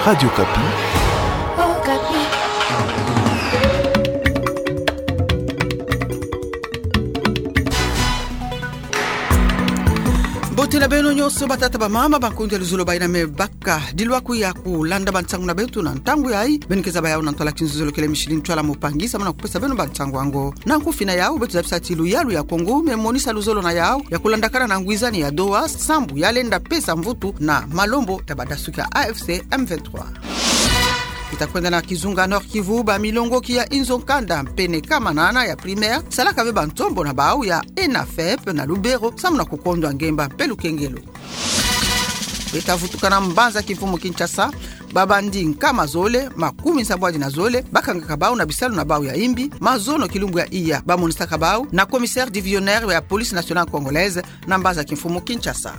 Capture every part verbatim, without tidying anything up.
Radio Okapi. Mbote na beno nyonso, batata, bamama, bankundi ya luzolo, bayina me baka. Dilwaku ya kulanda bansangu na beto na ntangu yayi. Beno keza baya na ntwala kinzuzolo kele Micheline Ntwala Mupangi, samu na kupesa beno bansangu yango. Na nkufi na yau, beto zabisa ti luyalu ya Congo me monisa luzolo na yau ya kulandakana na ngwizani ya Doha, sambu ya lenda pesa mvutu na malembo ya badasuki ya A F C M vingt-trois. Bita kwenda na kizunga Nord-Kivu, bamilongoki ya inzo nkanda pene kama nana ya primaire salaka ve bantombo na bau ya ENAFEP na Lubero, samu na kukondwa ngemba mpe lukengelo. Bita vutuka na mbanza kimfumu Kinshasa, babandi nkama zole makumi nsambwadi na zole bakangaka bau na bisalu na bau ya imbi, mazono kilumbu ya iya, bamonisaka bau na commissaire divisionnaire ya Police Nationale Congolaise na mbanza kimfumu Kinshasa.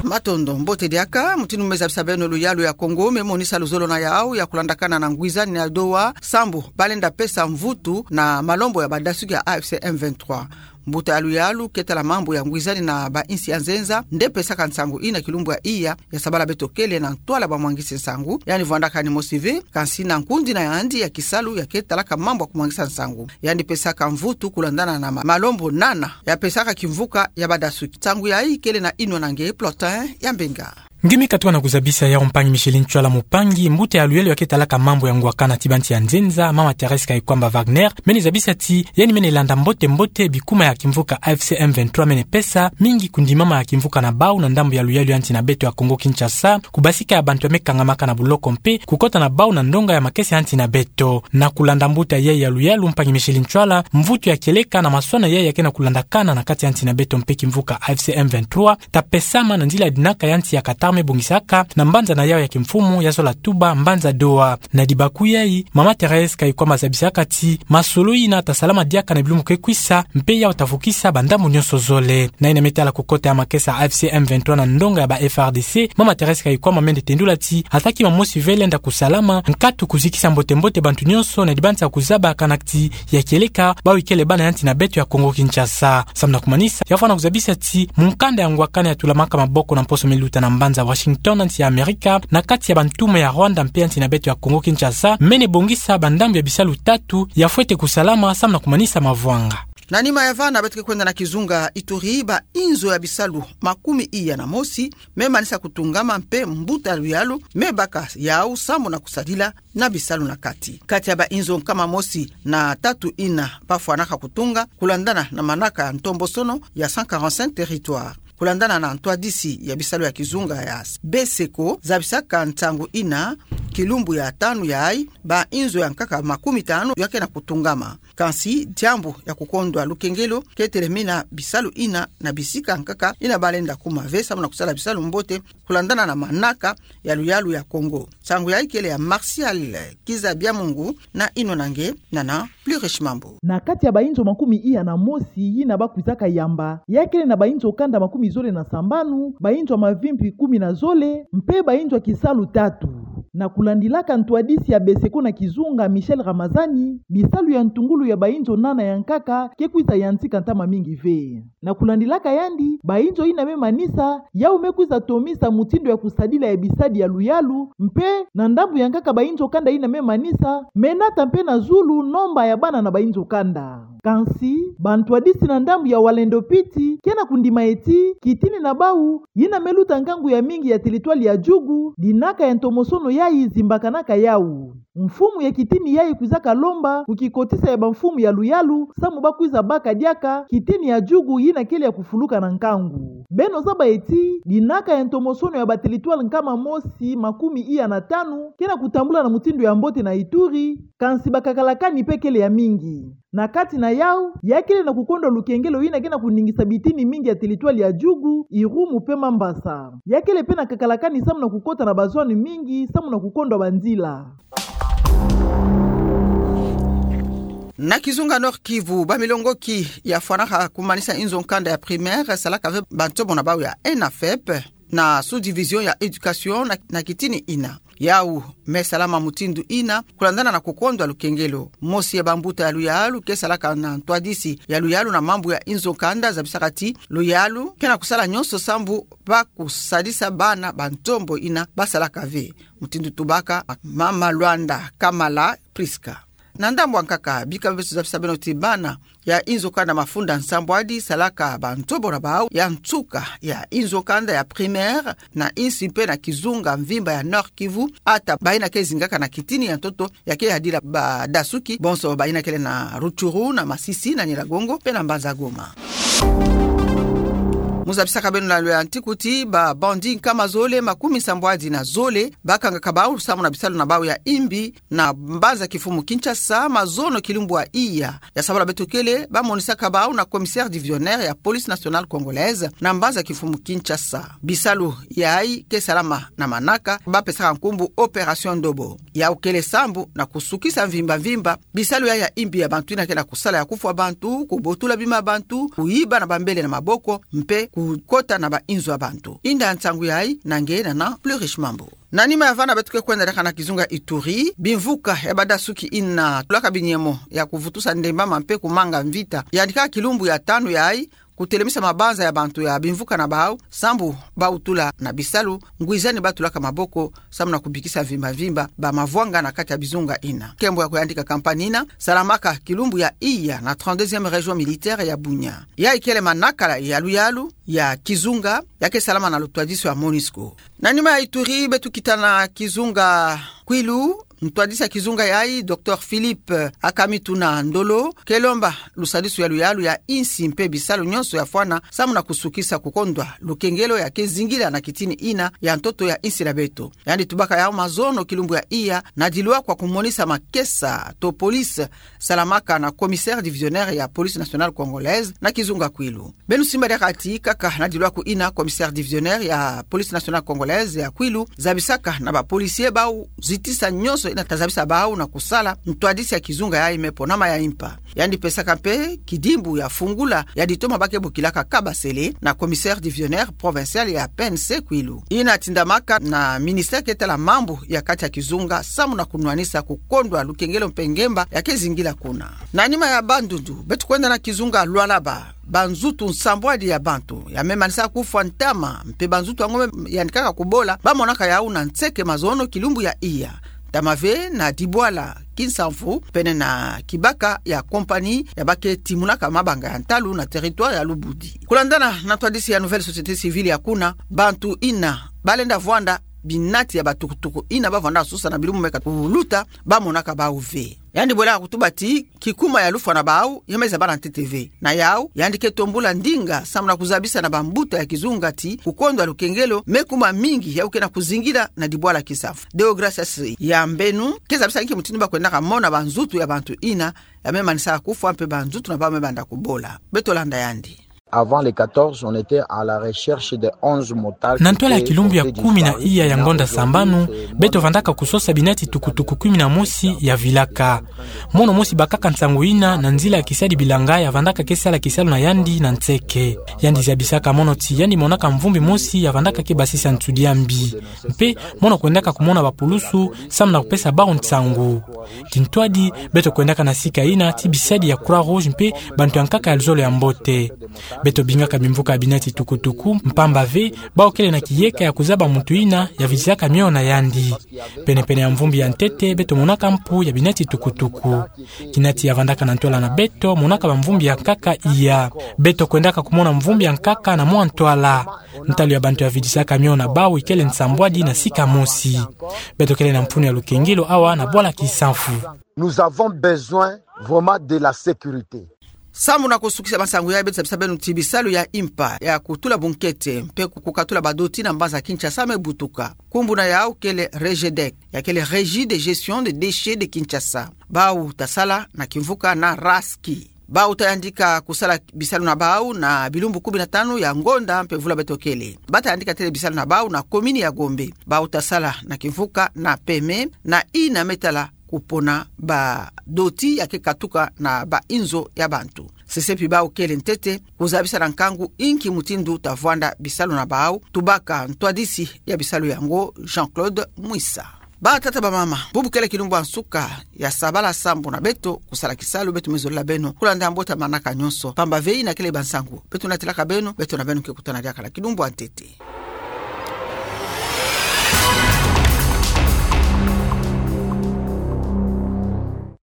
Matondo, mbote diaka. Mutindu me zabisa beno, luyalu ya Congo me monisa luzolo na yau ya kulandakana na ngwizani ya Doha, sambu ba lenda pesa mvutu na malembo ya badasuki ya A F C M vingt-trois. Mbuta ya luyalu ke tala mambu ya ngwizani na bainsi ya nzenza nde pesaka nsangu yina kilumbu ya iya, ya sabala beto kele na ntwala bamwangisi nsangu, yandi vwandakani mosi ve, kansi na nkundi na yandi ya kisalu ya ke talaka mambu ya kumwangisa nsangu, yandi pesaka mvutu kulandana na ma-, malembo nana ya pesaka kimvuka ya badasuki. Nsangu yayi kele na Inonange Plotin ya Mbenga. Nge me katuka na kuzabisa yau, mpangi Micheline Ntwala Mupangi. Mbuta ya luyalu ya ke talaka mambu ya ngwakana ti bansi ya nzenza, mama Thérèse Kayikwamba Wagner, mene zabisa ti yandi mene landa mbote-mbote bikuma ya kimvuka A F C M vingt-trois mene pesa, mingi kundimama ya kimvuka na bau na ndambu ya luyalu ya nsi na beto ya Congo Kinshasa, kubasika ya bantu ya me kangamaka na buloko mpe kukota na bau na ndonga ya makesa ya nsi na beto. Na kulanda mbuta yayi ya luyalu, mpangi Micheline Ntwala, mvutu ya kieleka na maswana yayi ya ke na kulandakana na kati ya nsi na beto mpe kimvuka A F C M vingt-trois, ta pesama na nzila ya dinaka ya nsi ya Qatar me bongisaka na mbanza na yau ya kimfumu ya zola tuba, mbanza Doha. Na dibaku yayi, mama Thérèse Kayikwamba zabisaka ti masolo yina ta salama diaka na bilumbu ke kwisa, mpe yau ta vukisa bandambu nyonso zole. Na yina me tala kukota ya makesa A F C M vingt-trois na ndonga ya ba F A R D C, mama Thérèse Kayikwamba mene tendula ti ata kima mosi ve lenda kusalama, nkatu kuzikisa mbote-mbote bantu nyonso na dibanza ya kuzaba kana ti ya kieleka bau ikele bana ya nsi na beto ya Congo Kinshasa. Samu na kumanisa, ya fwana kuzabisa ti mukanda ya ngwakana ya tulamaka maboko na mposo me luta na mbanza Washington na nsi ya Amerika, na kati ya bantume ya Rwanda mpe ya nsi na beto ya Congo Kinshasa, mene bongisa bandambu ya bisalu tatu ya fwete kusalama samu na kumanisa mavwanga. Na nima ya vana, beto ke kwenda na kizunga Ituri, bainzo ya bisalu makumi iya na mosi me manisa kutungama mpe mbuta luyalu me baka yau samu na kusadila na bisalu na kati. Kati ya bainzo nkama mosi na tatu yina ba fwanaka kutunga, kulandana na manaka ya ntombosono ya cent quarante-cinq territoires. Kulandana na ntwadisi ya bisalu ya kizunga ya BESECO, zabisaka nsangu yina kilumbu ya tanu yayi, bainzo ya nkaka makumi tanu ya ke na kutungama. Kansi diambu ya kukondwa lukengelo ke telemina bisalu yina na bisika nkaka yina ba lenda kuma ve samu na kusala bisalu mbote, kulandana na manaka ya luyalu ya Congo. Nsangu yayi kele ya Martial Kizabiamungu na Inonange Nana Plurish Mambu. Na kati ya bainzo makumi iya na mosi yina ba kwizaka yamba, ya kele na bainzo kanda makumi zole na sambanu, bainzo ya mavimpi kumi na zole, mpe bainzo ya kisalu tatu. Na kulandilaka ntwadisi ya BESECO na kizunga, Michel Ramazani, bisalu ya ntungulu ya bainzo nana ya nkaka ke kwiza yantika ntama mingi ve. Na kulandilaka yandi, bainzo yina me manisa, yau me kwiza tomisa mutindu ya kusadila ya bisadi ya luyalu, mpe na ndambu ya nkaka bainzo kanda yina me manisa, me nata mpe na zulu nomba ya bana na bainzo kanda. Kansi, bantwadisi na ndambu ya Walendo Piti ke na kundima ti, kitini na bau, yina me luta nkangu ya mingi ya teritwale ya Djugu, dinaka ya ntomosono yayi zimbakanaka yau. Mfumu ya kitini yayi kwizaka lomba ku kikotisa ya bamfumu ya luyalu, samu ba kwiza baka diaka kitini ya Djugu yina kele ya kufuluka na nkangu. Beno zaba ti, dinaka ya ntomosono ya bateritwale nkama mosi makumi iya na tanu ke na kutambula na mutindu ya mbote na Ituri, kansi bakakalakani mpe kele ya mingi. Na kati na yau, ya kele na kukondwa lukengelo yina ke na kuningisa bitini mingi ya teritwale ya Djugu, Irumu mpe Mambasa. Ya kele mpe na kakalakani samu na kukota na bazwani mingi, samu na kukondwa banzila. Na kizunga Nord-Kivu, bamilongoki ya fwanaka kumanisa inzo nkanda ya primaire salaka ve bantomo na bau ya ENAFEP na sous-division ya éducation na, na kitini yina. Yau me salama mutindu ina, kulandana na kukondwa lukengelo. Mosi ya bambuta ya luyalu ke salaka na ntwadisi ya luyalu na mambu ya inzo kanda zabisaka ti luyalu ke na kusala nyonso sambu ba kusadisa bana ba ntombo ina ba salaka ve. Mutindu tubaka Mama Luanda Kamala Prisca. Na ndambu ankaka, bika beto zabisa beno ti bana ya inzo kanda mafunda nsambwadi salaka ba ntombo na bau ya nsuka ya inzo kanda ya primaire na insi mpe na kizunga mvimba ya Nord Kivu, ata baina ke zingaka na kitini ya ntoto ya ke yadila badasuki, bonso baina kele na Rutshuru, na Masisi, na Nyiragongo, mpe na Mbanza Goma. Mu zabisaka beno na lwe ya ntiku ti ba bandit nkama zole makumi nsambwadi na zole bakangaka bau samu na bisalu na bau ya imbi na mbanza kifumu Kinshasa, mazono kilumbu ya iya. Ya sabala beto kele, ba monisaka bau na commissaire divisionnaire ya Police Nationale Congolaise na mbanza kifumu Kinshasa. Bisalu yayi ke salama na manaka ba pesaka nkumbu Opération Ndobo. Yau kele sambu na kusukisa mvimba mvimba bisalu yayi ya imbi ya bantu ina ke na kusala ya kufwa bantu, kubotula bima ya bantu, kuyiba na bambele na maboko, mpe kukota na ba inzo ya bantu. Inda nsangu yayi na nge na na Plus Riche Mambu. Na nima ya vana beto ke kwenda diaka na kizunga Ituri, bimvuka ya badasuki ina tulaka binyemo ya kuvutusa ndembama mpe kumanga mvita yandika kilumbu ya tanu yayi, kutelemisa mabanza ya bantu ya bimvuka na bau, sambu bau tula na bisalu ngwizani ba tulaka maboko, sambu na kubikisa mvimba mvimba ba mavwanga na kati ya bizunga ina. Nkembo ya kuyandika kampani ina salamaka kilumbu ya iya na trente-deuxième région militaire ya Bunia. Yayi kele manakala ya luyalu ya kizunga ya ke salama na lutwadiso ya MONUSCO. Na nima ya Ituri, beto kita na kizunga Kwilu, ntwadisi ya kizunga yayi, Docteur Philippe Akamituna Ndolo, ke lomba lusadisu ya luyalu ya insi mpe bisalu nyonso ya fwana, samu na kusukisa kukondwa lukengelo ya ke zingila na kitini ina ya ntoto ya insi na beto. Yandi tubaka yau mazono kilumbu ya iya, na dilwa kwa kumonisa makesa to police salamaka na commissaire divisionnaire ya Police Nationale Congolaise na kizunga Kwilu. Beno simba diaka ti kaka na dilwaku ina, commissaire divisionnaire ya Police Nationale Congolaise ya Kwilu zabisaka na ba policiers bau zitisa nyonso ina ta zabisa bau na kusala, ntwadisi ya kizunga yayi me ponama ya impa. Yandi pesaka mpe kidimbu ya fungula ya ditoma ba ke bokilaka kabasele na commissaire divisionnaire provincial ya P N C Kwilu, ina tindamaka na ministère ke tala mambu ya kati ya kizunga, samu na kunwanisa kukondwa lukengelo mpe ngemba ya ke zingila kuna. Na nima ya Bandundu, beto kwenda na kizunga Lualaba. Banzutu nsambwadi ya bantu ya me manisa kufwa ntama, mpe banzutu yango me yandikaka kubola, ba monaka yau na nseke mazono kilumbu ya iya. Ntama ve na dibwala Kinsamvu, pene na kibaka ya compagnie ya ba ke timunaka mabanga ya ntalu na territoire ya Lubudi. Kulandana na ntwadisi ya Nouvelle Société Civile ya kuna, bantu ina ba lenda vwanda binati ya batukutuku ina ba vwanda susa na bilumbu meka kuluta, ba monaka bau ve. Yandi bwelaka kutuba ti kikuma ya lufwa na bau ya me zabana ntete ve. Na yau, yandi ke tombula ndinga samu na kuzabisa na bambuta ya kizunga ti kukondwa lukengelo me kuma mingi yau ke na kuzingila na dibwala Kinsamvu. Deogracias Yambenu ke zabisa nki mutindu ba kwendaka mona banzutu ya bantu ina ya me manisa kufwa mpe banzutu na bau me banda kubola. Beto landa yandi. Avant les quatorze, on était à la recherche de onze motards. Na ntwala ya kilumbu ya kumi na iya ya ngonda sambanu, beto vandaka kusosa binati tukutuku kumi na mosi ya vilaka. Mono mosi bakaka nsangu ina na nzila ya kisadi bilanga ya vandaka ke sala kisalu na yandi na nseke. Yandi zabisaka mono ti yandi monaka mvumbi mosi ya vandaka ke basisa nsudi ya mbi. Mpe mono kwendaka kumona bapulusu samu na kupesa bau nsangu. Kintwadi, beto kwendaka na sika ina ti bisadi ya Croix-Rouge mpe bantu ya nkaka ya luzolo ya mbote. Beto bingaka bimvuka ya binati tukutuku, mpamba ve, bau kele na kiyeka ya kuzaba muntu ina ya vidisaka mio na yandi. Penepene ya mvumbi ya ntete, beto monaka mpu ya binati tukutuku. Kinati ya vandaka na ntwala na beto, monaka bamvumbi ya nkaka iya. Beto kwendaka kumona mvumbi ya nkaka na mwa ntwala. Ntalu ya bantu ya vidisaka mio na bau ikele nsambwadi na sika mosi. Beto kele na mfunu ya lukengelo awa na bwala Kinsamvu. Nous avons besoin vraiment de la sécurité. Samu na kusukisa bansangu yayi, beto zabisa beno ti bisalu ya impa ya kutula bunkete mpe kukatula badoti na mbanza Kinshasa me butuka. Nkumbu na yau kele REGEDEC, ya kele Régie de Gestion des Déchets de Kinshasa. Bau ta sala na kimvuka na RASCI. Bau ta yandika kusala bisalu na bau na bilumbu kumi na tanu ya ngonda mpe vula beto kele. Ba ta yandika tele bisalu na bau na komini ya Gombe. Bau ta sala na kimvuka na peme na ina me tala kupona badoti ya ke katuka na bainzo ya bantu. Sesepi bau kele ntete kuzabisa na nkangu inki mutindu ta vwanda bisalu na bau, tubaka ntwadisi ya bisalu yango, Jean-Claude Mwisa. Batata bamama, bubu kele kilumbu ya nsuka ya sabala sambu na beto, kusala kisalu beto mezolila beno, kulanda mbuta manaka nyonso, pamba veina kele bansangu beto natelaka beno, beto na beno ke kutana diaka na kilumbu ya ntete.